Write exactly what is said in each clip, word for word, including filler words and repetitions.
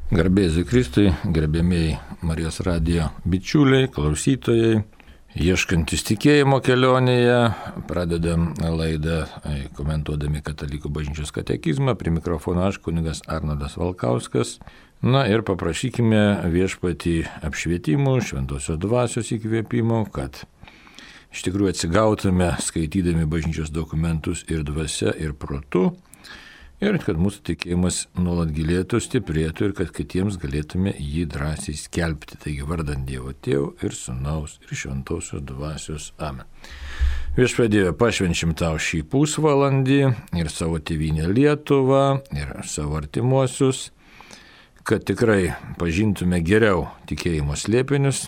Garbėsiu Kristui, gerbėmiai Marijos radijo bičiuliai, klausytojai, ieškantis tikėjimo kelionėje, pradedam laidą komentuodami Katalikų bažnyčios katekizmą, prie mikrofono aš, kunigas Arnoldas Valkauskas. Na ir paprašykime viešpatį apšvietimų, šventosios dvasios įkvėpimo, kad iš tikrųjų atsigautume skaitydami bažnyčios dokumentus ir dvasia, ir protu, ir kad mūsų tikėjimas nuolat gilėtų, stiprėtų ir kad kitiems galėtume jį drąsiai skelbti. Taigi vardant Dievo Tėvo ir Sūnaus ir Šventosios Dvasios. Amen. Viešpatie Dieve, pašvenčiam tau šį pusvalandį ir savo tėvynę Lietuvą ir savo artimuosius, kad tikrai pažintume geriau tikėjimo slėpinius,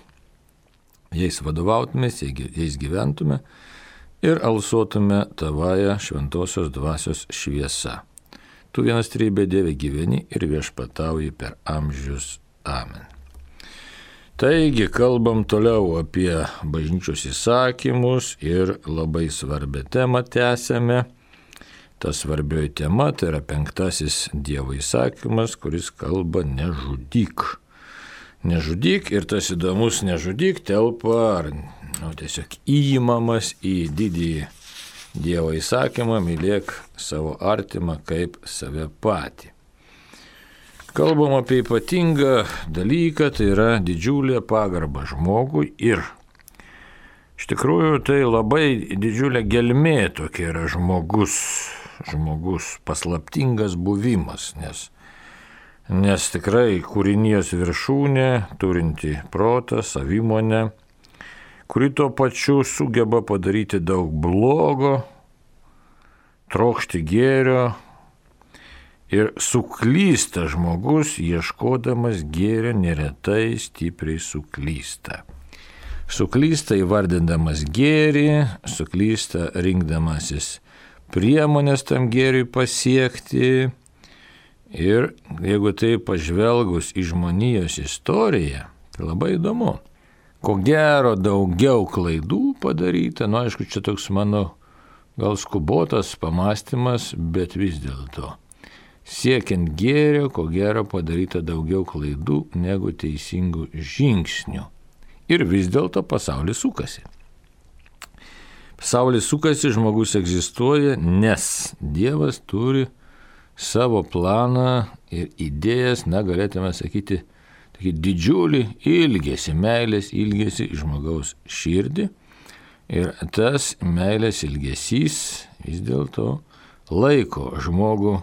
jais vadovautumės, jais gyventume ir alsuotume tavąją Šventosios Dvasios šviesa. Tu vienas trejybė Dieve gyveni ir viešpatauji per amžius. Amen. Taigi, kalbam toliau apie bažnyčios įsakymus ir labai svarbią temą tęsiame. Ta svarbioji tema tai yra penktasis Dievo įsakymas, kuris kalba nežudyk. Nežudyk ir tas įdomus nežudyk telpa ar nu, tiesiog įimamas į didįjį Dievo įsakymą, mylėk savo artimą kaip save patį. Kalbam apie ypatingą dalyką, tai yra didžiulė pagarba žmogui ir iš tikrųjų tai labai didžiulė gelmė tokia yra žmogus, žmogus paslaptingas buvimas, nes, nes tikrai kūrinijos viršūnė, turinti protą, savimonę, kuri tuo pačiu sugeba padaryti daug blogo, trokšti gėrio ir suklysta žmogus, ieškodamas gėrio neretai stipriai suklysta. Suklysta įvardindamas gėrį, suklysta rinkdamasis priemonės tam gėriui pasiekti ir jeigu tai pažvelgus į žmonijos istoriją, tai labai įdomu. Ko gero daugiau klaidų padaryta, nu aišku, čia toks mano gal skubotas pamastymas, bet vis dėlto. Siekiant gėrio, ko gero padaryta daugiau klaidų negu teisingų žingsnių. Ir vis dėlto pasaulis sukasi. Pasaulis sukasi, žmogus egzistuoja, nes Dievas turi savo planą ir idėjas, na galėtume sakyti, didžiulį ilgesį, meilės ilgesį žmogaus širdį ir tas meilės ilgesys vis dėlto laiko žmogų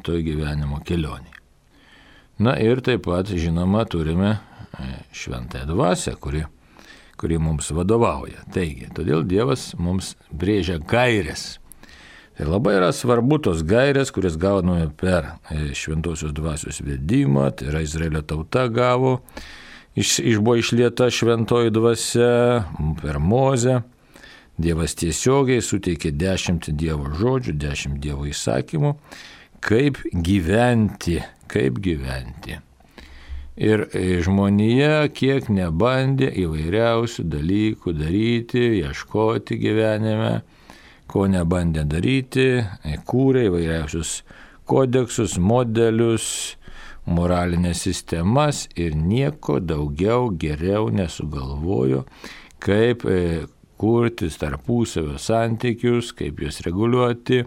toj gyvenimo kelionėje. Na ir taip pat, žinoma, turime šventąją dvasią, kuri, kuri mums vadovauja. Taigi, todėl Dievas mums brėžia gaires. Tai labai yra svarbu tos gairės, kurias gauname per šventosios dvasios vedimą, tai yra Izraelio tauta gavo, iš, iš buvo išlieta šventoji dvasia per Mozę. Dievas tiesiogiai suteikė dešimt Dievo žodžių, dešimt Dievo įsakymų, kaip gyventi, kaip gyventi. Ir žmonija kiek nebandė įvairiausių dalykų daryti, ieškoti gyvenime, ko nebandė daryti, kūrė įvairiausius kodeksus, modelius, moralinės sistemas ir nieko daugiau geriau nesugalvojo, kaip kurti tarpusavio santykius, kaip juos reguliuoti,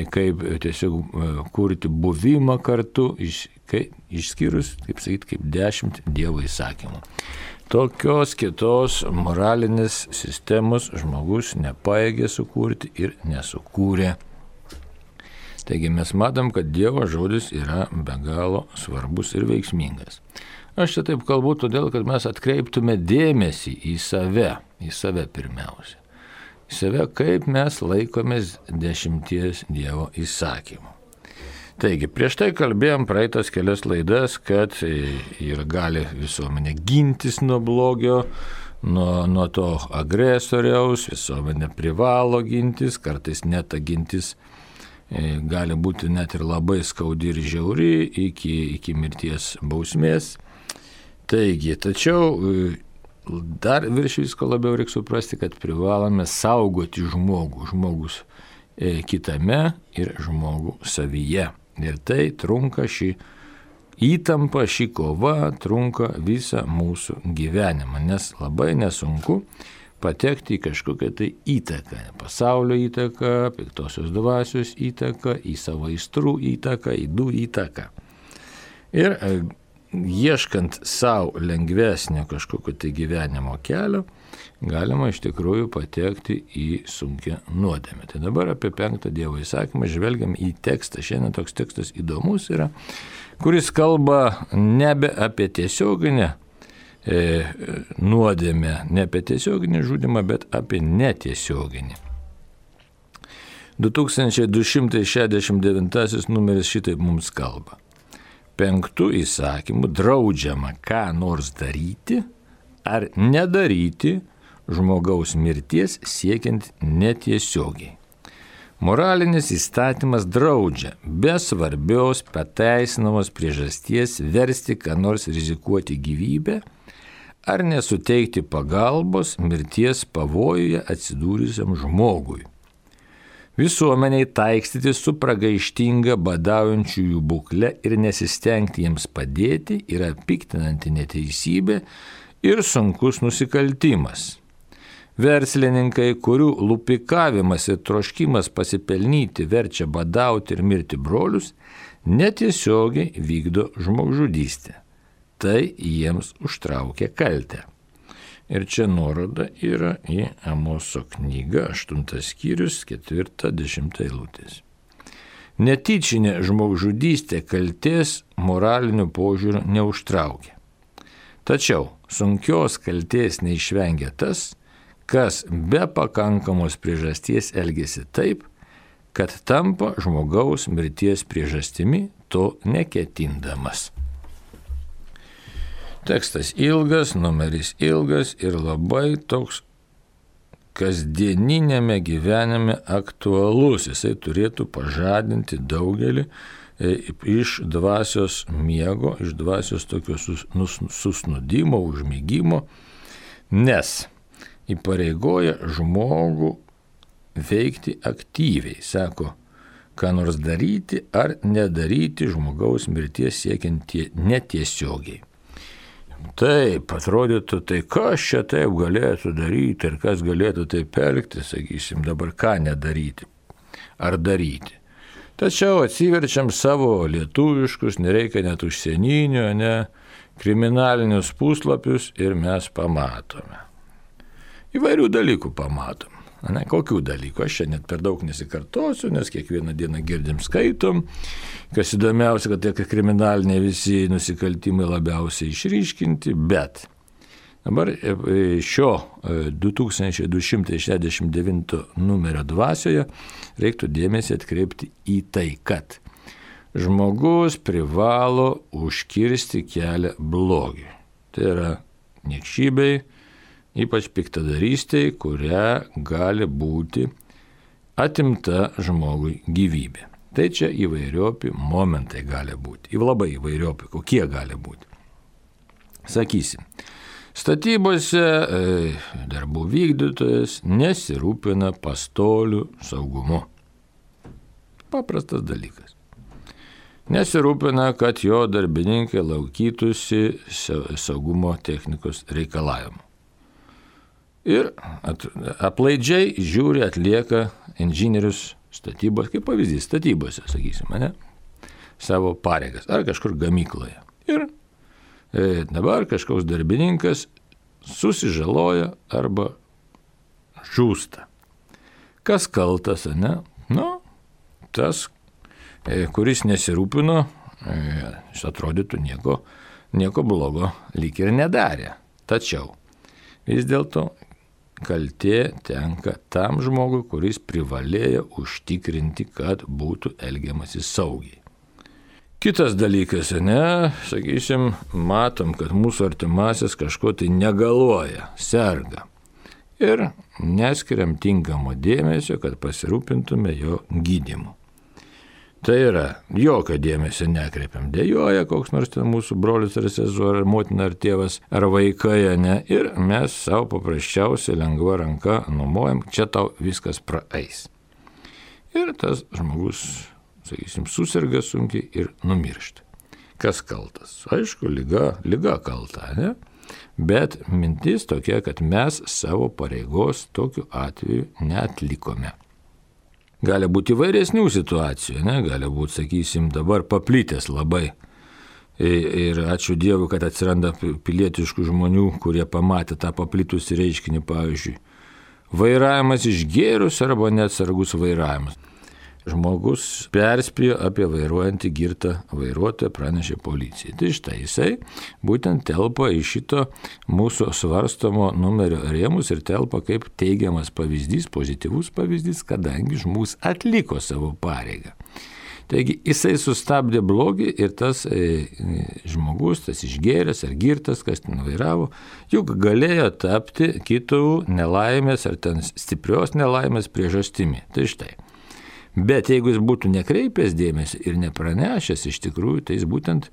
kaip tiesiog kurti buvimą kartu, išskyrus, kaip sakyti, kaip dešimt Dievo įsakymų. Tokios kitos moralinės sistemos žmogus nepaėgė sukurti ir nesukūrė. Taigi mes matom, kad Dievo žodis yra be galo svarbus ir veiksmingas. Aš čia taip kalbu todėl, kad mes atkreiptume dėmesį į save, į save pirmiausia. Į save, kaip mes laikomės dešimties Dievo įsakymų. Taigi, prieš tai kalbėjom praeitas kelias laidas, kad ir gali visuomenė gintis nuo blogio, nuo, nuo to agresoriaus, visuomenė privalo gintis, kartais net ta gintis gali būti net ir labai skaudi ir žiauri iki, iki mirties bausmės. Taigi, tačiau dar virš visko labiau reikia suprasti, kad privalome saugoti žmogų, žmogus kitame ir žmogų savyje. Ir tai trunka šį įtampa, ši kova trunka visą mūsų gyvenimą, nes labai nesunku patekti į kažkokią tai įtaką, pasaulio įtaką, piktosios dvasios įtaką, į savo aistrų įtaką, ydų įtaką. Ir ieškant savo lengvesnio kažkokio tai gyvenimo kelio, galima iš tikrųjų patekti į sunkią nuodėmę. Tai dabar apie penktą Dievo įsakymą žvelgiam į tekstą. Šiandien toks tekstas įdomus yra, kuris kalba nebe apie tiesioginę e, nuodėmę, ne apie tiesioginį žudymą, bet apie netiesioginį. du tūkstančiai du šimtai šešiasdešimt devintasis numeris šitaip mums kalba. Penktų įsakymų draudžiama ką nors daryti ar nedaryti žmogaus mirties siekiant netiesiogiai. Moralinis įstatymas draudžia be svarbios pateisinamos priežasties versti ką nors rizikuoti gyvybę ar nesuteikti pagalbos mirties pavojuje atsidūrusiam žmogui. Visuomeniai taikstyti su pragaištinga badaujančiųjų būkle ir nesistengti jiems padėti yra piktinanti neteisybė ir sunkus nusikaltimas. Verslininkai, kurių lupikavimas ir troškimas pasipelnyti verčia badauti ir mirti brolius, netiesiogiai vykdo žmogžudystę. Tai jiems užtraukia kaltę. Ir čia nuoroda yra į Amoso knygą, aštuntas skyrius, ketvirta, dešimta eilutės. Netyčinė žmogžudystė kaltės moraliniu požiūriu neužtraukia. Tačiau sunkios kaltės neišvengia tas, kas be pakankamos priežasties elgesi taip, kad tampa žmogaus mirties priežastimi to neketindamas. Tekstas ilgas, numeris ilgas ir labai toks kasdieninėme gyvenime aktualus. Jisai turėtų pažadinti daugelį iš dvasios miego, iš dvasios tokio susnudimo, užmigimo, nes įpareigoja žmogų veikti aktyviai, sako, ką nors daryti ar nedaryti žmogaus mirties siekiant netiesiogiai. Taip, atrodytų, tai kas čia taip galėtų daryti ir kas galėtų taip elgti, sakysim, dabar ką nedaryti ar daryti. Tačiau atsiverčiam savo lietuviškus, nereikia net užsieninių, ne, kriminalinius puslapius ir mes pamatome. Įvairių dalykų pamatom. Ne, kokių dalykų? Aš čia net per daug nesikartosiu, nes kiekvieną dieną girdim, skaitom. Kas įdomiausia, kad tie kriminaliniai visi nusikaltimai labiausiai išryškinti, bet dabar šio du tūkstančiai du šimtai šešiasdešimt devinto numerio dvasioje reiktų dėmesį atkreipti į tai, kad žmogus privalo užkirsti kelią blogiui. Tai yra niekšybei, ypač piktadarystei, kuria gali būti atimta žmogui gyvybė. Tai čia įvairiopi momentai gali būti. Labai įvairiopi, kokie gali būti. Sakysim, statybose e, darbų vykdytojas nesirūpina pastolių saugumu. Paprastas dalykas. Nesirūpina, kad jo darbininkai laikytųsi saugumo technikos reikalavimų. Ir at, aplaidžiai žiūri, atlieka inžinierius statybos, kaip pavyzdys, statybose, sakysime, ne, savo pareigas, ar kažkur gamykloje. Ir e, dabar kažkoks darbininkas susižaloja arba žūsta. Kas kaltas, ne? Nu, tas, e, kuris nesirūpino, e, atrodytų nieko, nieko blogo lyg ir nedarė. Tačiau vis dėlto kaltė tenka tam žmogui, kuris privalėjo užtikrinti, kad būtų elgiamasi saugiai. Kitas dalykas, ne, sakysim, matom, kad mūsų artimasis kažko tai negaluoja, serga. Ir neskiriam tinkamo dėmesio, kad pasirūpintume jo gydymu. Tai yra, jokio dėmesio nekreipiam, dėjoja koks nors ten mūsų brolis ar sesuo, ar motina, ar tėvas, ar vaikai, ne, ir mes savo paprasčiausiai lengva ranka numojam, čia tau viskas praeis. Ir tas žmogus, sakysim, susirga sunkiai ir numiršta. Kas kaltas? Aišku, lyga, lyga kalta, ne? Bet mintis tokia, kad mes savo pareigos tokiu atveju neatlikome. Gali būti įvairesnių situacijų, ne? Gali būti, sakysim, dabar paplitęs labai. Ir ačiū Dievui, kad atsiranda pilietiškų žmonių, kurie pamatė tą paplitusį reiškinį, pavyzdžiui, vairavimas išgėrus arba neatsargus vairavimas. Žmogus perspėjo apie vairuojantį girtą vairuotoją, pranešė policijai. Tai štai jisai būtent telpa į šito mūsų svarstomo numerio rėmus ir telpa kaip teigiamas pavyzdys, pozityvus pavyzdys, kadangi žmogus atliko savo pareigą. Taigi jisai sustabdė blogį ir tas e, žmogus, tas išgėręs ar girtas, kas ten vairavo, juk galėjo tapti kitų nelaimės ar ten stiprios nelaimės priežastimi. Tai štai. Bet jeigu jis būtų nekreipęs dėmesį ir nepranešęs iš tikrųjų, tai jis būtent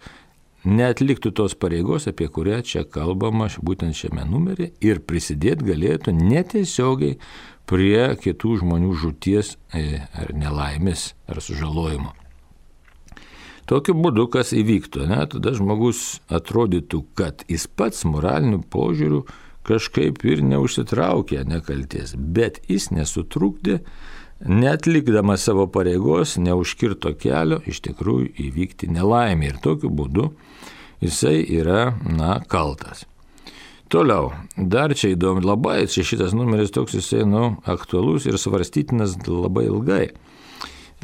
neatliktų tos pareigos, apie kurią čia kalbama būtent šiame numerį ir prisidėti galėtų netiesiogiai prie kitų žmonių žūties ar nelaimės ar sužalojimo. Tokiu būdu, kas įvyktų, ne, tada žmogus atrodytų, kad jis pats moraliniu požiūriu kažkaip ir neužsitraukė nekalties, bet jis nesutrukdė, neatlikdamas savo pareigos, neužkirto kelio iš tikrųjų įvykti nelaimė ir tokiu būdu jisai yra, na, kaltas. Toliau, dar čia įdomu, labai, čia šitas numeris toks jisai, nu, aktualus ir svarstytinas labai ilgai,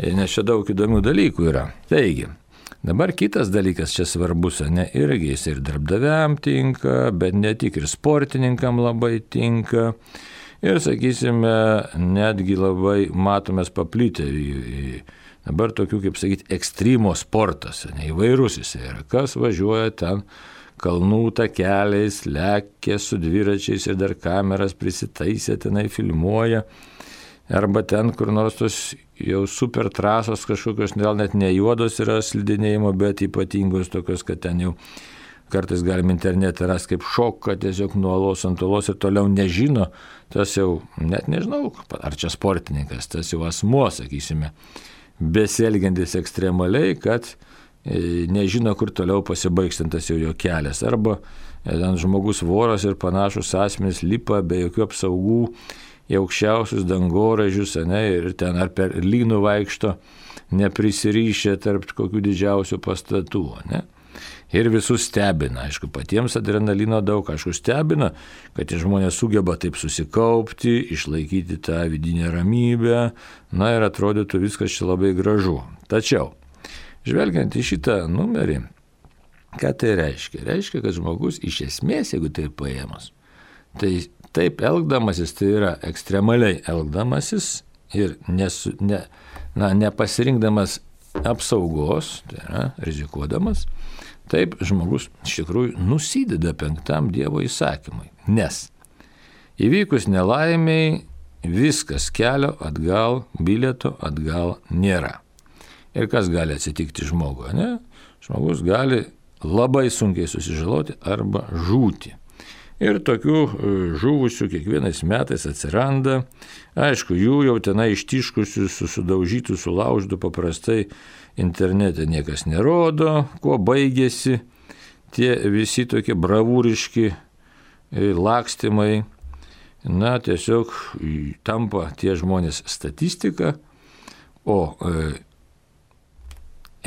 nes čia daug įdomių dalykų yra. Taigi, dabar kitas dalykas čia svarbus, ne, irgi jis ir darbdaviam tinka, bet ne tik ir sportininkam labai tinka. Ir, sakysime, netgi labai matomės paplitę į dabar tokių, kaip sakyti, ekstremo sportas, ne, įvairus jis yra. Kas važiuoja ten kalnų takeliais, lekia su dviračiais ir dar kameras prisitaisė, tenai filmuoja. Arba ten, kur nors tos jau super trasos kažkokios, gal net ne juodos yra slidinėjimo, bet ypatingos tokios, kad ten jau kartais galim internete rasti kaip šoką, tiesiog nuo olos ant olos ir toliau nežino, tas jau, net nežinau, ar čia sportininkas, tas jau asmuo, sakysime, besielgiantis ekstremaliai, kad e, nežino, kur toliau pasibaigstantas jau jo kelias. Arba e, žmogus voras ir panašus asmenys lipa be jokių apsaugų į aukščiausius dangoraižius, ne, ir ten ar per lynų vaikšto neprisirišę tarp kokių didžiausių pastatų, ne. Ir visus stebina, aišku, patiems adrenalino daug, aišku, stebina, kad tie žmonės sugeba taip susikaupti, išlaikyti tą vidinę ramybę, na ir atrodytų viskas čia labai gražu. Tačiau, žvelgiant į šitą numerį, ką tai reiškia? Reiškia, kad žmogus iš esmės, jeigu tai paėmus, tai taip elgdamasis, tai yra ekstremaliai elgdamasis ir nesu, ne, na, nepasirinkdamas apsaugos, tai yra rizikuodamas, taip žmogus iš tikrųjų nusideda penktam Dievo įsakymui, nes įvykus nelaimiai viskas, kelio atgal, bilieto atgal nėra. Ir kas gali atsitikti žmogui, ne? Žmogus gali labai sunkiai susižaloti arba žūti. Ir tokių žuvusių kiekvienais metais atsiranda, aišku, jų jau tenai ištiškusių, sudaužytų, sulaužytų paprastai internete niekas nerodo, kuo baigėsi tie visi tokie bravūriški lakstymai. Na, tiesiog tampa tie žmonės statistika, o e,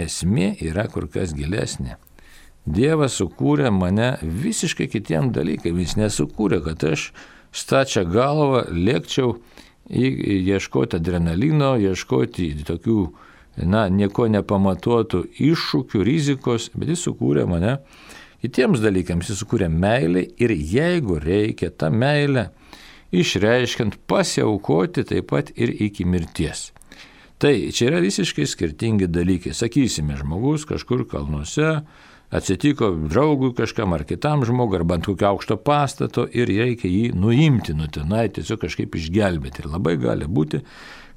esmė yra kur kas gilesnė. Dievas sukūrė mane visiškai kitiem dalykam, jis nesukūrė, kad aš stačią galvą lėkčiau ieškoti adrenalino, ieškoti tokių, na, nieko nepamatuotų iššūkių, rizikos, bet jis sukūrė mane kitiems dalykams, jis sukūrė meilę ir jeigu reikia tą meilę išreiškiant pasiaukoti taip pat ir iki mirties. Tai čia yra visiškai skirtingi dalykai. Sakysime, žmogus kažkur kalnuose atsitiko draugui kažkam ar kitam žmogui, arba ant kokio aukšto pastato ir reikia jį nuimti nuo tenai, tiesiog kažkaip išgelbėti. Ir labai gali būti,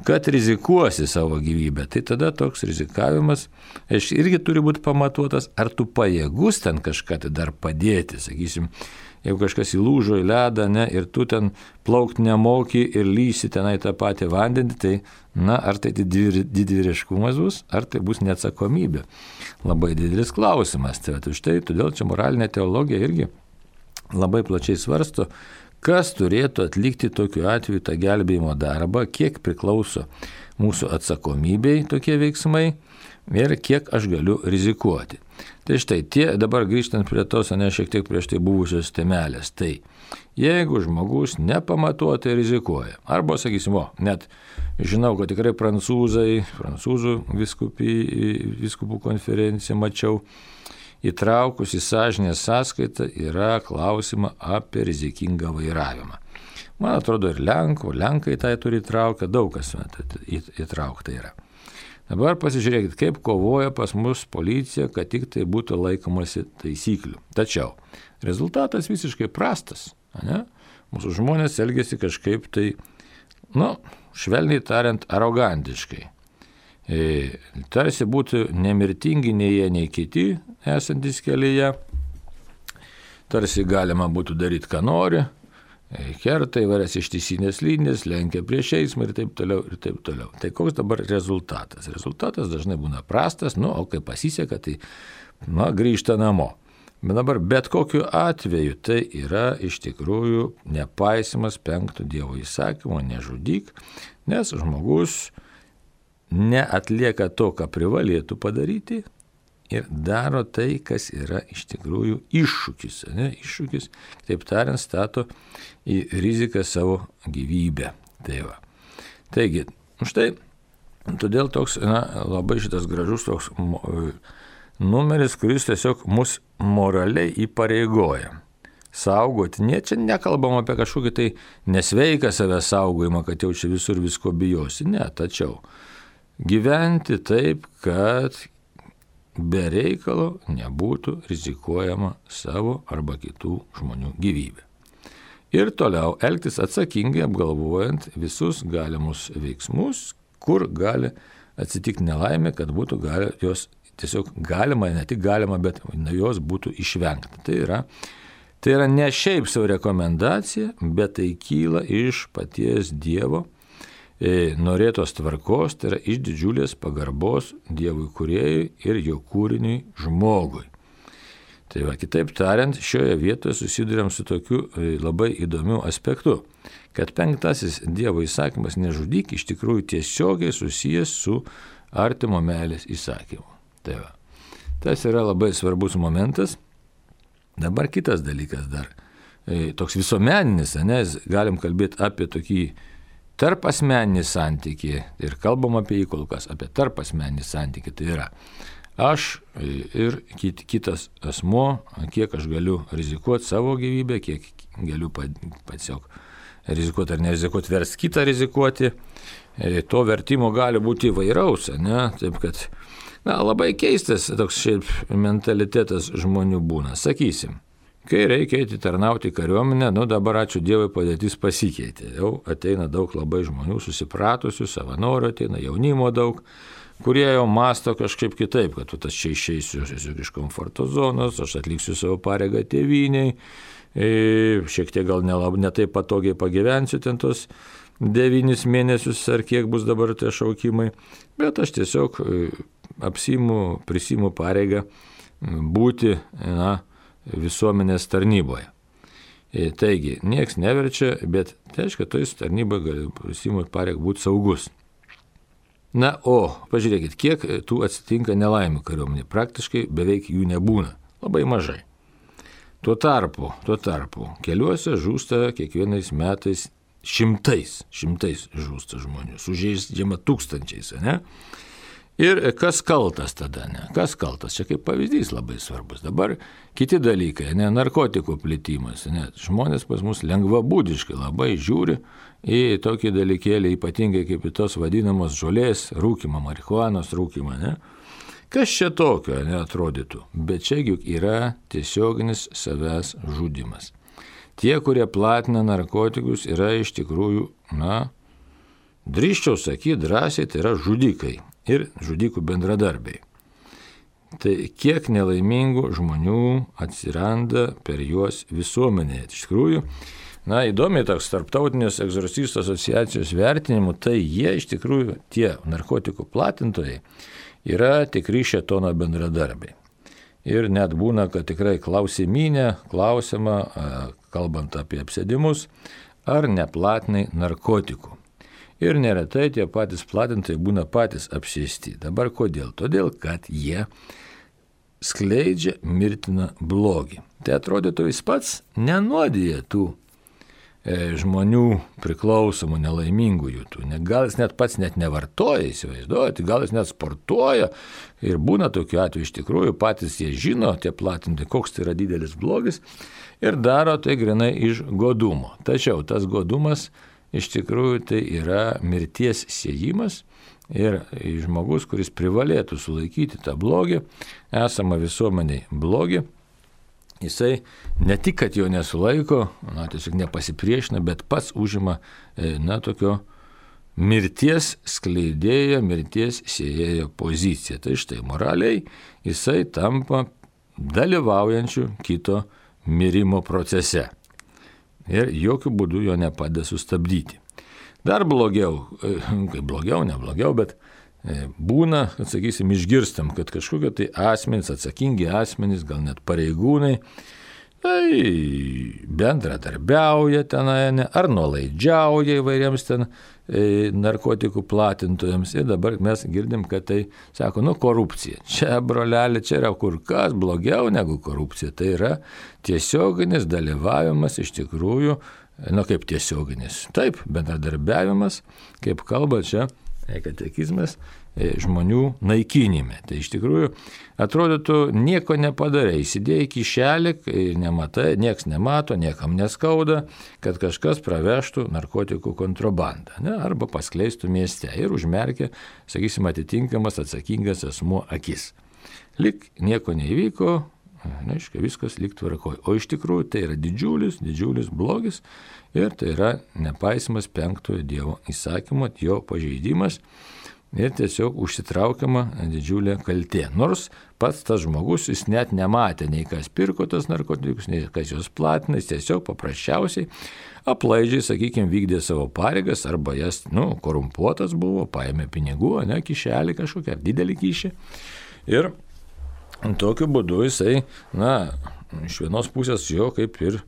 kad rizikuosi savo gyvybę. Tai tada toks rizikavimas irgi turi būti pamatuotas, ar tu pajėgus ten kažką tai dar padėti, sakysim. Jeigu kažkas įlūžo į ledą, ne, ir tu ten plaukti nemoki ir lysi tenai tą patį vandenį, tai, na, ar tai didvyriškumas bus, ar tai bus neatsakomybė. Labai didelis klausimas. Tai už tai, todėl čia moralinė teologija irgi labai plačiai svarsto, kas turėtų atlikti tokiu atveju tą gelbėjimo darbą, kiek priklauso mūsų atsakomybei tokie veiksmai ir kiek aš galiu rizikuoti. Tai štai, tie, dabar grįžtant prie tos, ne šiek tiek prieš tai buvusios temelės, tai jeigu žmogus nepamatuotai rizikuoja, arba, sakysim, o, net žinau, kad tikrai prancūzai, prancūzų viskupį, viskupų konferenciją mačiau, įtraukus į sąžinės sąskaitą yra klausimą apie rizikingą vairavimą. Man atrodo, ir Lenkų, Lenkai tai turi įtraukę, daug kas įtraukta yra. Dabar pasižiūrėkit, kaip kovoja pas mus policija, kad tik tai būtų laikomasi taisyklių. Tačiau rezultatas visiškai prastas. Ne? Mūsų žmonės elgesi kažkaip tai, nu, švelniai tariant, arogantiškai. E, tarsi būtų nemirtingi nei jie, nei kiti esantis kelyje. Tarsi galima būtų daryti, ką nori. Kerta įvairias ištisinės linijas, lenkia prieš eismą ir taip toliau, ir taip toliau. Tai koks dabar rezultatas? Rezultatas dažnai būna prastas, nu, o kai pasiseka, tai, na, grįžta namo. Bet dabar bet kokiu atveju tai yra iš tikrųjų nepaisimas penkto Dievo įsakymo, nežudyk, nes žmogus neatlieka to, ką privalėtų padaryti, ir daro tai, kas yra iš tikrųjų iššūkis. Ne? Iššūkis, taip tariant, stato į riziką savo gyvybę. Tai va. Taigi, štai, todėl toks, na, labai šitas gražus toks numeris, kuris tiesiog mus moraliai įpareigoja. Saugoti, ne, čia nekalbam apie kažkokį tai nesveiką savęs saugojimą, kad jau čia visur visko bijosi. Ne, tačiau gyventi taip, kad be reikalo nebūtų rizikuojama savo arba kitų žmonių gyvybę. Ir toliau elgtis atsakingai, apgalvojant visus galimus veiksmus, kur gali atsitikti nelaimė, kad būtų gali, jos tiesiog galima, ne tik galima, bet jos būtų išvengta. Tai yra, tai yra ne šiaip savo rekomendacija, bet tai kyla iš paties Dievo norėtos tvarkos, tai yra iš didžiulės pagarbos Dievui kūrėjui ir jo kūriniui žmogui. Tai va, kitaip tariant, šioje vietoje susiduriam su tokiu labai įdomiu aspektu, kad penktasis Dievo įsakymas nežudyk iš tikrųjų tiesiogiai susijęs su artimo meilės įsakymu. Tai va, tas yra labai svarbus momentas. Dabar kitas dalykas dar, toks visuomeninis, nes galim kalbėti apie tokį tarp asmeninį santykį ir kalbam apie jį kol kas, apie tarp asmeninį santykį. Tai yra aš ir kit, kitas asmuo, kiek aš galiu rizikuoti savo gyvybę, kiek galiu tiesiog rizikuoti ar nerizikuoti, vers kitą rizikuoti. To vertimo gali būti įvairaus, ne? Taip kad, na, labai keistas toks šiaip mentalitetas žmonių būna. Sakysim, kai reikia eiti tarnauti kariuomenę, nu dabar ačiū Dievui padėtis pasikeitė. Jau ateina daug labai žmonių susipratusių, savanorių ateina, jaunimo daug, kurie jau masto kažkaip kitaip, kad aš čia išeisiu iš komforto zonos, aš atliksiu savo pareigą tėvyniai, šiek tiek gal nelab, ne taip patogiai pagyvensiu ten tos devynis mėnesius ar kiek bus dabar tie šaukimai, bet aš tiesiog apsiimu, prisiimu pareigą būti, na, visuomenės tarnyboje. Taigi, nieks neverčia, bet tai reiškia, toj tarnyboje gali prisiimti pareigą būti saugus. Na, o, pažiūrėkit, kiek tų atsitinka nelaimių kariuomenė. Praktiškai beveik jų nebūna. Labai mažai. Tuo tarpu, tuo tarpu, keliuose žūsta kiekvienais metais šimtais, šimtais žūsta žmonių, sužeidžiama tūkstančiais, ne? Ir kas kaltas tada, ne? Kas kaltas? Čia kaip pavyzdys labai svarbus. Dabar kiti dalykai, ne? Narkotikų plitimas, ne? Žmonės pas mus lengvabūdiškai labai žiūri į tokį dalykėlį, ypatingai kaip į tos vadinamos žolės rūkimą, marihuanos rūkimą, ne? Kas čia tokio, neatrodytų, bet čia juk yra tiesioginis savęs žudimas. Tie, kurie platina narkotikus, yra iš tikrųjų, na, drįsčiau sakyti drąsiai, tai yra žudikai ir žudikų bendradarbiai. Tai kiek nelaimingų žmonių atsiranda per juos visuomenėje. Iš tikrųjų, na, įdomiai toks tarptautinės egzorcistų asociacijos vertinimų, tai jie iš tikrųjų, tie narkotikų platintojai, yra tikri šėtono bendradarbiai. Ir net būna, kad tikrai klausimynė, klausima, kalbant apie apsėdimus, ar neplatinai narkotikų. Ir neretai tie patys platintojai būna patys apsėsti. Dabar kodėl? Todėl, kad jie skleidžia mirtiną blogį. Tai atrodytų, jis pats nenuodija tų e, žmonių priklausomų, nelaimingųjų. Tų. Gal jis net pats net nevartoja, įsivaizduojate, gal jis net sportuoja. Ir būna tokiu atveju iš tikrųjų, patys jie žino, tie platintojai, koks tai yra didelis blogis. Ir daro tai grinai iš godumo. Tačiau tas godumas iš tikrųjų tai yra mirties siejimas ir žmogus, kuris privalėtų sulaikyti tą blogį, esamą visuomeniai blogį, jisai ne tik, kad jo nesulaiko, na, tiesiog nepasipriešina, bet pats užima, na, tokio mirties skleidėjo, mirties siejėjo poziciją. Tai štai moraliai jisai tampa dalyvaujančiu kito mirimo procese. Ir jokių būdų jo nepadeda sustabdyti. Dar blogiau, kaip blogiau, ne blogiau, bet būna, kad, sakysim, išgirstam, kad kažkokie tai asmenys, atsakingi asmenys, gal net pareigūnai, tai bendradarbiauja tenai, ar nuolaidžiauja įvairiems ten narkotikų platintojams. Ir dabar mes girdim, kad tai, sako, nu, korupcija. Čia, brolelė, čia yra kur kas blogiau negu korupcija. Tai yra tiesioginis dalyvavimas iš tikrųjų, nu, kaip tiesioginis. Taip, bendradarbiavimas, kaip kalba čia katekizmas, žmonių naikinime. Tai iš tikrųjų atrodytų nieko nepadarai, įsidėjai kišelį ir nematai, nieks nemato, niekam neskauda, kad kažkas pravežtų narkotikų kontrabandą, ne, arba paskleistų mieste ir užmerkia, sakysim, atitinkamas atsakingas asmuo akis. Lik nieko neįvyko, neaiškia, viskas lyg tvarkoj. O iš tikrųjų tai yra didžiulis, didžiulis blogis ir tai yra nepaisimas penktojo Dievo įsakymo, jo pažeidimas ir tiesiog užsitraukiama didžiulė kaltė. Nors pats tas žmogus, jis net nematė nei kas pirko tas narkotikus, nei kas juos platina, jis tiesiog paprasčiausiai aplaidžiai, sakykime, vykdė savo pareigas arba jas, nu, korumpuotas buvo, paėmė pinigų, ne, kišelį kažkokią, ar didelį kišį. Ir tokiu būdu jisai, na, iš vienos pusės jo kaip ir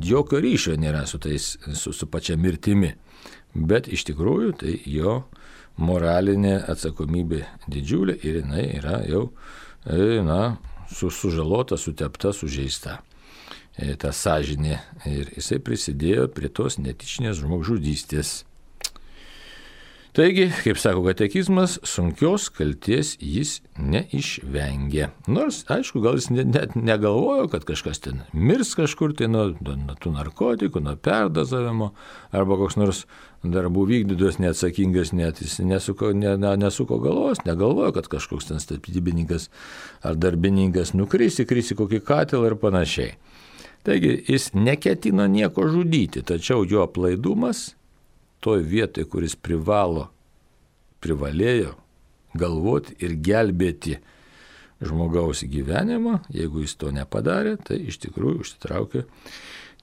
jokio ryšio nėra su, tais, su, su pačia mirtimi. Bet iš tikrųjų tai jo moralinė atsakomybė didžiulė ir jinai yra jau, na, su, sužalota, sutepta, sužeista. E, ta sąžinė. Ir jisai prisidėjo prie tos netyčinės žmogžudystės. Taigi, kaip sako katekizmas, sunkios kalties jis neišvengė. Nors, aišku, gal jis net negalvojo, kad kažkas ten mirs kažkur tai nuo, nuo tų narkotikų, nuo perdozavimo, arba koks nors darbų vykdytojas neatsakingas, net jis nesuko, ne, nesuko galvos, negalvojo, kad kažkoks ten statybininkas ar darbininkas nukris, įkris į kokį katilą ir panašiai. Taigi, jis neketino nieko žudyti, tačiau jo aplaidumas toj vietoj, kuris privalo, privalėjo galvoti ir gelbėti žmogaus gyvenimą, jeigu jis to nepadarė, tai iš tikrųjų užsitraukė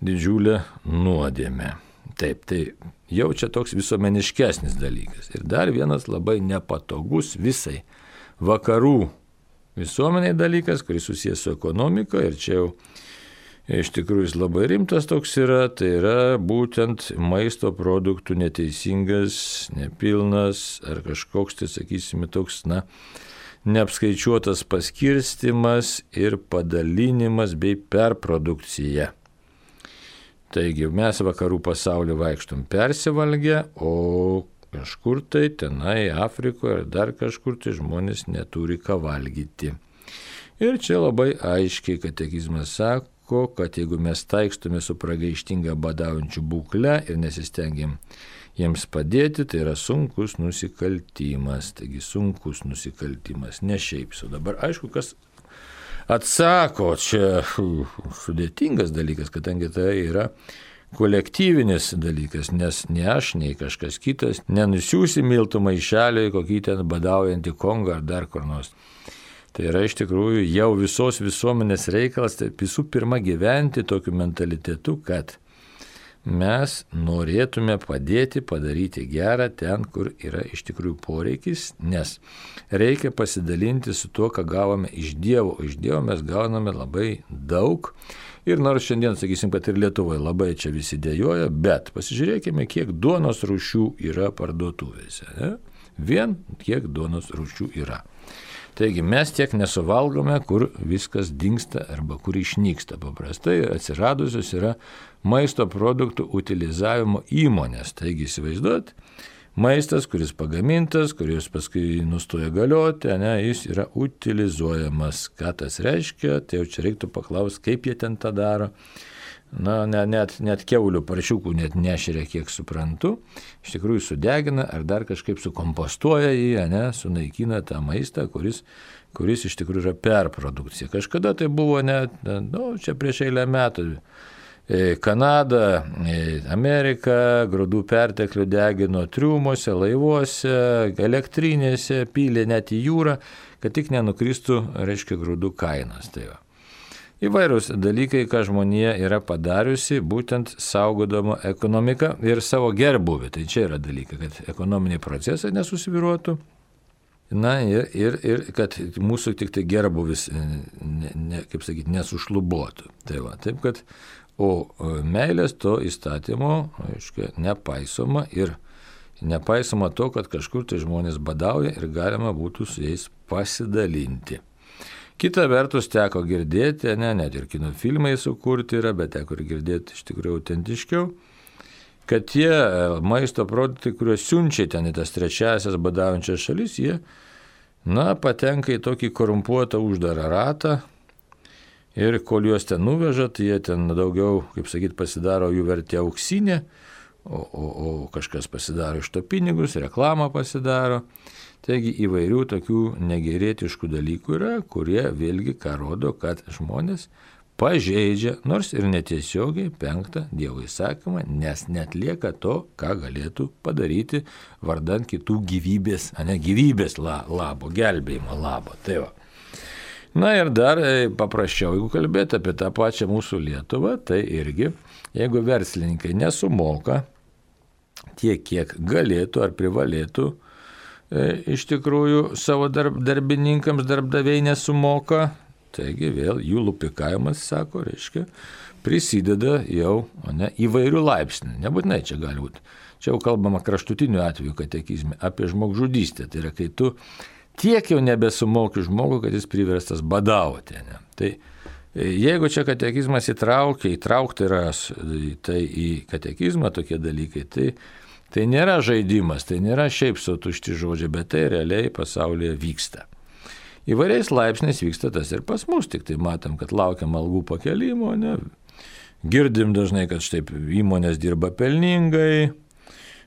didžiulę nuodėmę. Taip, tai jau čia toks visuomeniškesnis dalykas. Ir dar vienas labai nepatogus visai vakarų visuomeniai dalykas, kuris susijęs su ekonomika, ir čia jau iš tikrųjų jis labai rimtas toks yra, tai yra būtent maisto produktų neteisingas, nepilnas ar kažkoks, tai sakysime, toks, na, neapskaičiuotas paskirstimas ir padalinimas bei perprodukcija. Taigi mes vakarų pasaulio vaikštom persivalgę, o kažkur tai tenai Afrikoje ar dar kažkur tai žmonės neturi ką valgyti. Ir čia labai aiškiai katekizmas sako, kad jeigu mes taikstume su pragaištinga badaujančių būkle ir nesistengiam jiems padėti, tai yra sunkus nusikaltimas. Taigi sunkus nusikaltimas, ne šiaip sau. Dabar aišku, kas atsako, čia sudėtingas dalykas, kadangi tai yra kolektyvinis dalykas, nes ne aš, nei kažkas kitas nenusiųsi miltų maišelį kokį ten badaujantį Kongą ar dar kur nors. Tai yra iš tikrųjų jau visos visuomenės reikalas, tai visų pirma gyventi tokiu mentalitetu, kad mes norėtume padėti, padaryti gerą ten, kur yra iš tikrųjų poreikis, nes reikia pasidalinti su tuo, ką gavome iš Dievo. Iš Dievo mes gauname labai daug. Ir nors šiandien, sakysim, kad ir Lietuvoje labai čia visi dėjoja, bet pasižiūrėkime, kiek duonos rūšių yra parduotuvėse. Ne? Vien kiek duonos rūšių yra. Taigi mes tiek nesuvalgome, kur viskas dingsta arba kur išnyksta. Paprastai atsiradusios yra maisto produktų utilizavimo įmonės. Taigi įsivaizduot, maistas, kuris pagamintas, kuris paskui nustoja galioti, ne, jis yra utilizuojamas. Ką tas reiškia, tai jau čia reiktų paklausti, kaip jie ten tą daro. Na, ne, net, net kiaulių paršiukų net nešeria, kiek suprantu. Iš tikrųjų sudegina ar dar kažkaip sukompostuoja jį, ne, sunaikina tą maistą, kuris, kuris iš tikrųjų yra perprodukcija. Kažkada tai buvo net, nu, čia prieš eilę metų. Kanada, Amerika, grūdų perteklių degino triumuose, laivuose, elektrinėse, pylė net į jūrą, kad tik nenukristų, reiškia, grūdų kainos. Tai va. Įvairūs dalykai, ką žmonija yra padariusi, būtent saugodama ekonomiką ir savo gerbuvį. Tai čia yra dalykai, kad ekonominiai procesai nesusivyruotų. Na ir, ir, ir kad mūsų tik tai gerbuvis, ne, ne, kaip sakyti, nesušlubotų. Tai va, taip kad o meilės to įstatymo, aiškia, nepaisoma ir nepaisoma to, kad kažkur tai žmonės badauja ir galima būtų su jais pasidalinti. Kita vertus teko girdėti, ne, net ir kino filmai sukurti yra, bet teko ir girdėti iš tikrųjų autentiškiau, kad tie maisto produktai, kuriuos siunčia ten į tas trečiasias badaujančias šalis, jie, na, patenka į tokį korumpuotą uždarą ratą. Ir kol juos ten nuveža, tai jie ten daugiau, kaip sakyt, pasidaro jų vertė auksinė, o, o, o kažkas pasidaro iš to pinigus, reklamą pasidaro. Taigi įvairių tokių negerietiškų dalykų yra, kurie vėlgi ką rodo, kad žmonės pažeidžia, nors ir netiesiogiai, penktą Dievo įsakymą, nes netlieka to, ką galėtų padaryti vardan kitų gyvybės, ne gyvybės labo, gelbėjimo labo. Tai va. Na ir dar paprasčiau, jeigu kalbėti apie tą pačią mūsų Lietuvą, tai irgi, jeigu verslininkai nesumoka tiek, kiek galėtų ar privalėtų, e, iš tikrųjų savo darb, darbininkams darbdaviai nesumoka, taigi vėl jų lupikavimas, sako, reiškia, prisideda jau ne, įvairių laipsnių. Nebūtinai čia gali būti. Čia jau kalbama kraštutiniu atveju katekizme apie žmogžudystę. Tai yra, kai tu tiek jau nebesumoki žmogų, kad jis priverstas badauti. Ne? Tai jeigu čia katekizmas įtraukia, įtraukti yra tai į katekizmą tokie dalykai, tai, tai nėra žaidimas, tai nėra šiaip sau tušti žodžiai, bet tai realiai pasaulyje vyksta. Įvairiais laipsniais vyksta tas ir pas mus, tik tai matom, kad laukiam algų pakelimo, ne? Girdim dažnai, kad štai įmonės dirba pelningai,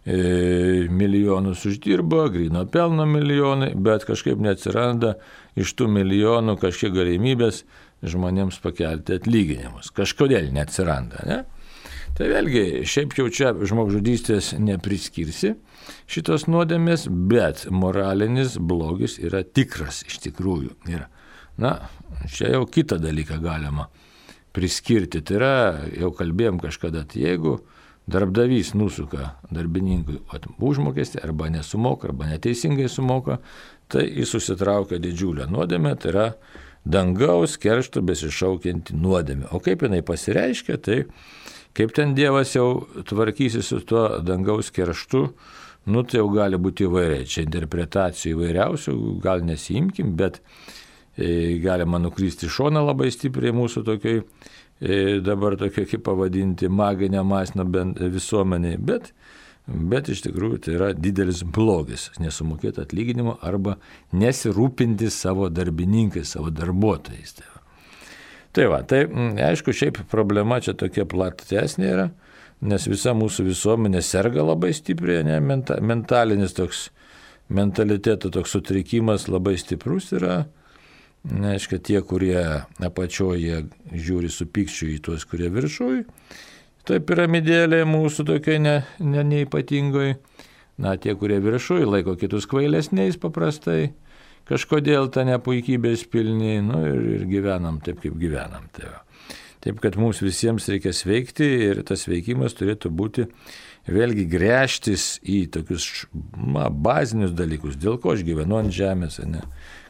milijonus uždirba, gryno pelno milijonai, bet kažkaip neatsiranda iš tų milijonų kažkiek galimybės žmonėms pakelti atlyginimus. Kažkodėl neatsiranda, ne? Tai vėlgi, šiaip jau čia žmogžudystės nepriskirsi šitos nuodėmės, bet moralinis blogis yra tikras iš tikrųjų. Ir, na, čia jau kitą dalyką galima priskirti. Tai yra, jau kalbėjom kažkada, tai jeigu darbdavys nusuka darbininkui užmokestį arba nesumoka, arba neteisingai sumoka, tai jis susitraukia didžiulę nuodėmę, tai yra dangaus keršto besišaukianti nuodėmė. O kaip jinai pasireiškia, tai kaip ten Dievas jau tvarkysi su tuo dangaus kerštu, nu tai jau gali būti įvairiai. Čia interpretacijų įvairiausių, gal nesiimkim, bet e, galima nukristi šoną labai stipriai mūsų tokiai, dabar tokia, kaip pavadinti, maginę masinę visuomeniai, bet, bet iš tikrųjų tai yra didelis blogis, nesumokėti atlyginimo arba nesirūpinti savo darbininkais, savo darbuotojais. Tai va, tai va, tai aišku, šiaip problema čia tokia platesnė yra, nes visa mūsų visuomenė serga labai stipriai, ne, menta, mentalinis toks, mentaliteto toks sutrikimas labai stiprus yra. Neaiškia, tie, kurie apačioje žiūri su pykčiu į tuos, kurie viršui, tai piramidėlė mūsų tokia ne, ne, neipatingoj. Na, tie, kurie viršui, laiko kitus kvailesniais paprastai, kažkodėl tą nepuikybės pilni, nu ir, ir gyvenam taip, kaip gyvenam. Tai va. Taip, kad mums visiems reikia sveikti ir tas veikimas turėtų būti vėlgi gręžtis į tokius na, bazinius dalykus, dėl ko aš gyvenu ant žemės, ne?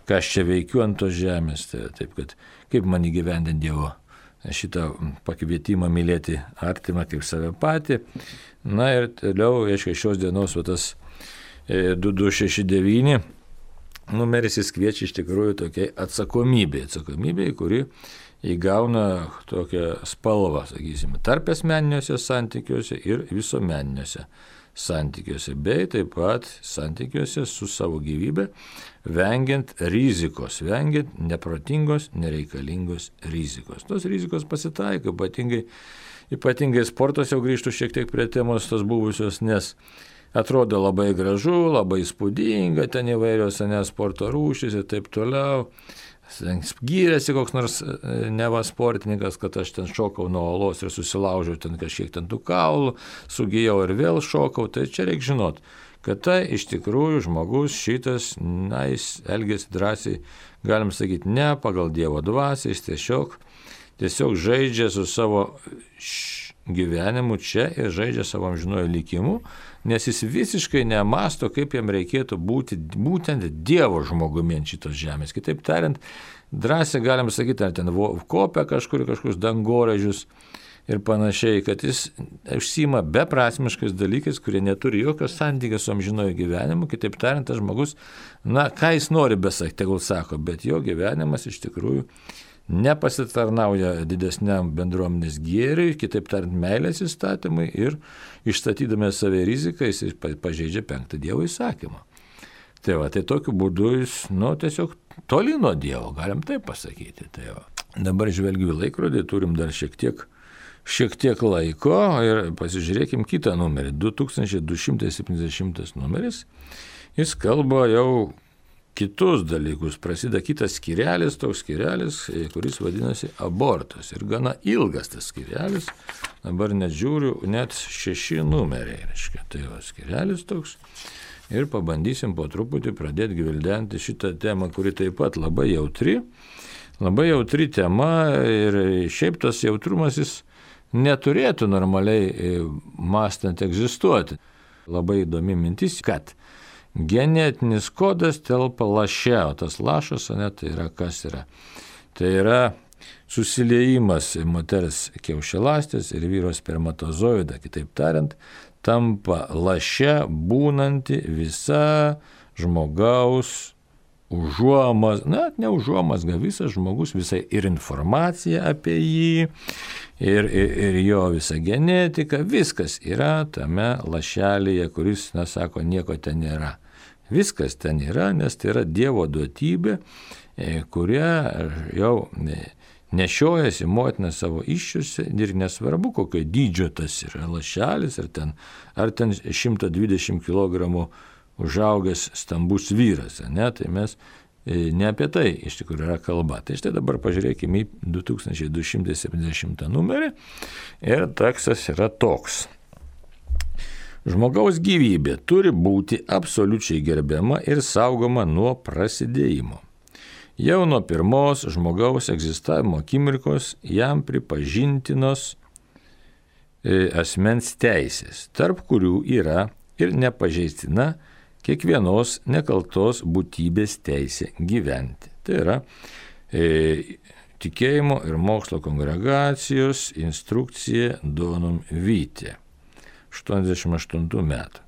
Ką aš čia veikiu ant tos žemės, tai taip, kad kaip man įgyvendinti Dievo šitą pakvietimą mylėti artimą kaip save patį. Na ir toliau, aišku, šios dienos va, tas du du šeši devyni numeris jis kviečia iš tikrųjų tokiai atsakomybė, atsakomybė, kuri įgauna tokią spalvą, sakysime, tarp asmeniniuose santykiuose ir visuomeniniuose santykiuose, bei taip pat santykiuose su savo gyvybė, vengiant rizikos, vengiant neprotingos, nereikalingos rizikos. Tos rizikos pasitaiko, ypatingai, ypatingai sportas, jau grįžtų šiek tiek prie temos tos buvusios, nes atrodo labai gražu, labai įspūdinga, ten įvairios ne, sporto rūšys ir taip toliau. Gyrėsi koks nors neva sportininkas, kad aš ten šokau nuo olos ir susilaužiau ten kažkiek ten tų kaulų, sugijau ir vėl šokau, tai čia reikia žinot, kad tai iš tikrųjų žmogus šitas, na, jis elgėsi drąsiai, galim sakyti, ne pagal Dievo dvasią, jis tiesiog, tiesiog žaidžia su savo gyvenimu čia ir žaidžia savo amžinuoju likimu, nes jis visiškai nemasto, kaip jam reikėtų būti būtent Dievo žmogumi ant šitos žemės. Kitaip tariant, drąsiai galim sakyti, ar ten kopia kažkur, kažkokius dangoraižius ir panašiai, kad jis užsiima beprasmiškais dalykais, kurie neturi jokio santykio su amžinuoju gyvenimu. Kitaip tariant, tas žmogus, na, ką jis nori besakti, tegul sako, bet jo gyvenimas iš tikrųjų nepasitarnauja didesniam bendruomenės gėriui, kitaip tariant, meilės įstatymui ir išstatydami save riziką, jis pažeidžia penktą Dievo įsakymą. Tai va, tai tokiu būdu jis, nu, tiesiog toli nuo Dievo, galim taip pasakyti. Tai va. Dabar žvelgiu į laikrodį, turim dar šiek tiek, šiek tiek laiko ir pasižiūrėkim kitą numerį, du tūkstančiai du šimtai septyniasdešimtas numeris. Jis kalba jau kitus dalykus, prasideda kitas skyrelis, toks skyrelis, kuris vadinasi abortas. Ir gana ilgas tas skyrelis, dabar net žiūriu, net šeši numeriai, reiškia, tai va skyrelis toks. Ir pabandysim po truputį pradėti gvildenti šitą temą, kuri taip pat labai jautri, labai jautri tema ir šiaip tas jautrumas jis neturėtų normaliai mąstant egzistuoti. Labai įdomi mintis, kad genetinis kodas telpa laše, o tas lašas, ne, tai yra kas yra? Tai yra susiliejimas moters kiaušialąstės ir vyro spermatozoidą, kitaip tariant, tampa laše būnanti visa žmogaus užuomazga, na, ne užuomazga, visas žmogus, visa ir informacija apie jį, ir, ir, ir jo visa genetika, viskas yra tame lašelėje, kuris, na, sako, nieko ten nėra. Viskas ten yra, nes tai yra Dievo duotybė, kurią jau nešiojasi motina savo iščiuose ir nesvarbu, kokio dydžio tas yra lašelis, ar ten, ar ten šimtas dvidešimt kilogramų užaugęs stambus vyras, ne, tai mes ne apie tai iš tikrųjų yra kalba. Tai štai dabar pažiūrėkime į du tūkstančiai du šimtai septyniasdešimtą numerį ir tekstas yra toks. Žmogaus gyvybė turi būti absoliučiai gerbiama ir saugoma nuo prasidėjimo. Jau nuo pirmos žmogaus egzistavimo akimirkos jam pripažintinos asmens teisės, tarp kurių yra ir nepažeistina kiekvienos nekaltos būtybės teisė gyventi. Tai yra e, tikėjimo ir mokslo kongregacijos instrukcija Donum Vitae. aštuoniasdešimt aštuntų metų.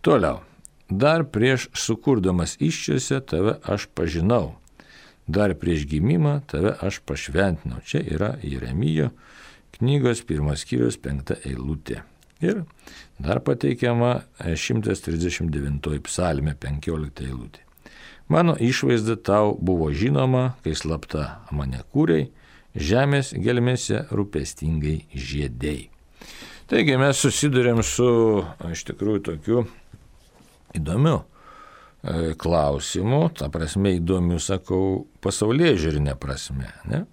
Toliau. Dar prieš sukurdamas iščiuose tave aš pažinau. Dar prieš gimimą tave aš pašventinau. Čia yra Jeremijo knygos pirmas skyrius penkta eilutė. Ir dar pateikiama šimtas trisdešimt devintoji psalmė penkiolikta eilutė. Mano išvaizda tau buvo žinoma, kai slapta mane kūrei, žemės gelmėse rūpestingai žiedei. Taigi mes susidurėm su iš tikrųjų tokiu įdomiu e, klausimu, ta prasme įdomiu, sakau, pasaulyje žiūrinė prasme, ne?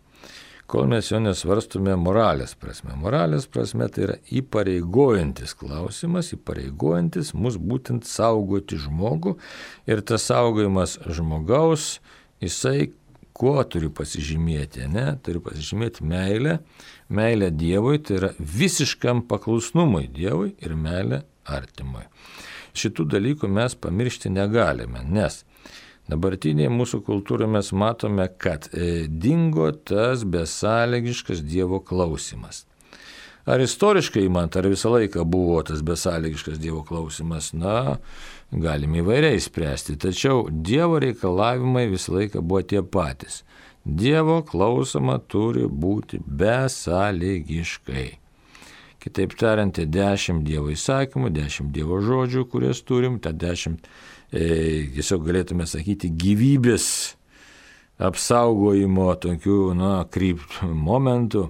Kol mes jo nesvarstume moralės prasme. Moralės prasme tai yra įpareigojantis klausimas, įpareigojantis mus būtent saugoti žmogų ir tas saugojimas žmogaus, jisai kuo turi pasižymėti, ne? Turi pasižymėti meilę, meilę Dievui, tai yra visiškam paklusnumui Dievui ir meilę artimui. Šitų dalykų mes pamiršti negalime, nes dabartinėje mūsų kultūroje mes matome, kad e, dingo tas besąlygiškas Dievo klausimas. Ar istoriškai imant, ar visą laiką buvo tas besąlygiškas Dievo klausimas, na, galime įvairiai spręsti, tačiau Dievo reikalavimai visą laiką buvo tie patys. Dievo klausoma turi būti besąlygiškai. Kitaip tariant, tie dešimt Dievo įsakymų, dešimt Dievo žodžių, kurias turim, tą dešimt E, tiesiog galėtume sakyti gyvybės apsaugojimo tokių, na, krypt momentų,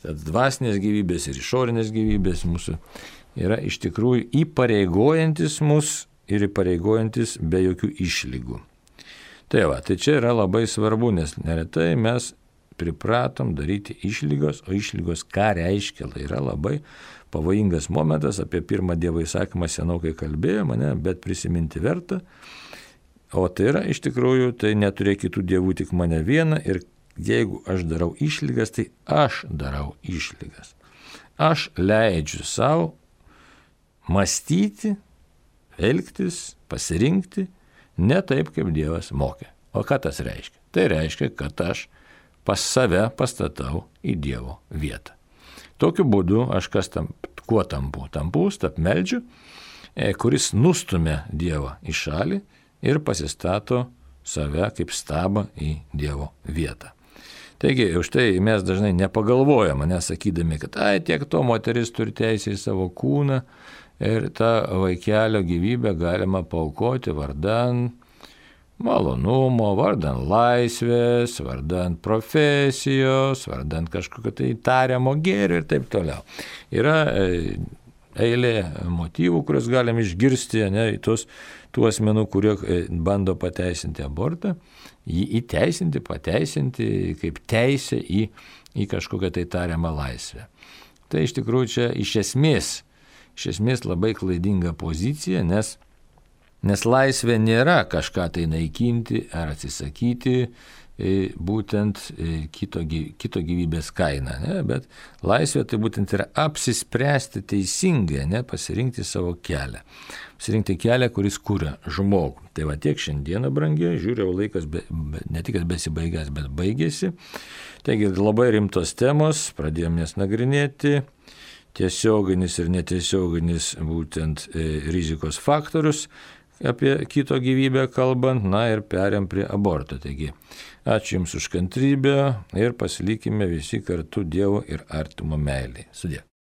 tad dvasinės gyvybės ir išorinės gyvybės mūsų yra iš tikrųjų įpareigojantis mus ir įpareigojantis be jokių išlygų. Tai va, tai čia yra labai svarbu, nes neretai mes pripratom daryti išlygos, o išlygos ką reiškia, tai yra labai pavojingas momentas, apie pirmą Dievo įsakymą senokai kalbėjome, ne, bet prisiminti verta, o tai yra iš tikrųjų, tai neturėk kitų dievų, tik mane vieną, ir jeigu aš darau išlygas, tai aš darau išlygas. Aš leidžiu savo mąstyti, elgtis, pasirinkti, ne taip, kaip Dievas mokė. O ką tas reiškia? Tai reiškia, kad aš pas save pastatau į Dievo vietą. Tokiu būdu aš kas tam, kuo tampu? Tampu stabmeldžiu, kuris nustumia Dievą į šalį ir pasistato save kaip stabą į Dievo vietą. Taigi, už tai mes dažnai nepagalvojame, nesakydami, kad ai, tiek to moteris turi teisę į savo kūną ir tą vaikelio gyvybę galima paaukoti vardan malonumo, vardan laisvės, vardan profesijos, vardan kažkokio tai tariamo gėrio ir taip toliau. Yra eilė motyvų, kuriuos galim išgirsti, ne, tos, tų asmenų, kurie bando pateisinti abortą, jį įteisinti, pateisinti kaip teisę į, į kažkokią tai tariamą laisvę. Tai iš tikrųjų čia iš esmės, iš esmės labai klaidinga pozicija, nes Nes laisvė nėra kažką tai naikinti ar atsisakyti būtent kito, kito gyvybės kaina, ne? Bet laisvė tai būtent yra apsispręsti teisingai, ne? Pasirinkti savo kelią. Pasirinkti kelią, kuris kuria žmogų. Tai va tiek šiandieną, brangiai, žiūrėjau, laikas be, be, ne tik besibaigęs, bet baigėsi. Taigi labai rimtos temos, pradėjome jas nagrinėti. Tiesioginis ir netiesioginis būtent e, rizikos faktorius, apie kito gyvybę kalbant, na ir perėm prie aborto. Taigi, ačiū Jums už kantrybę ir pasilikime visi kartu Dievo ir artimo meilėje. Sudie.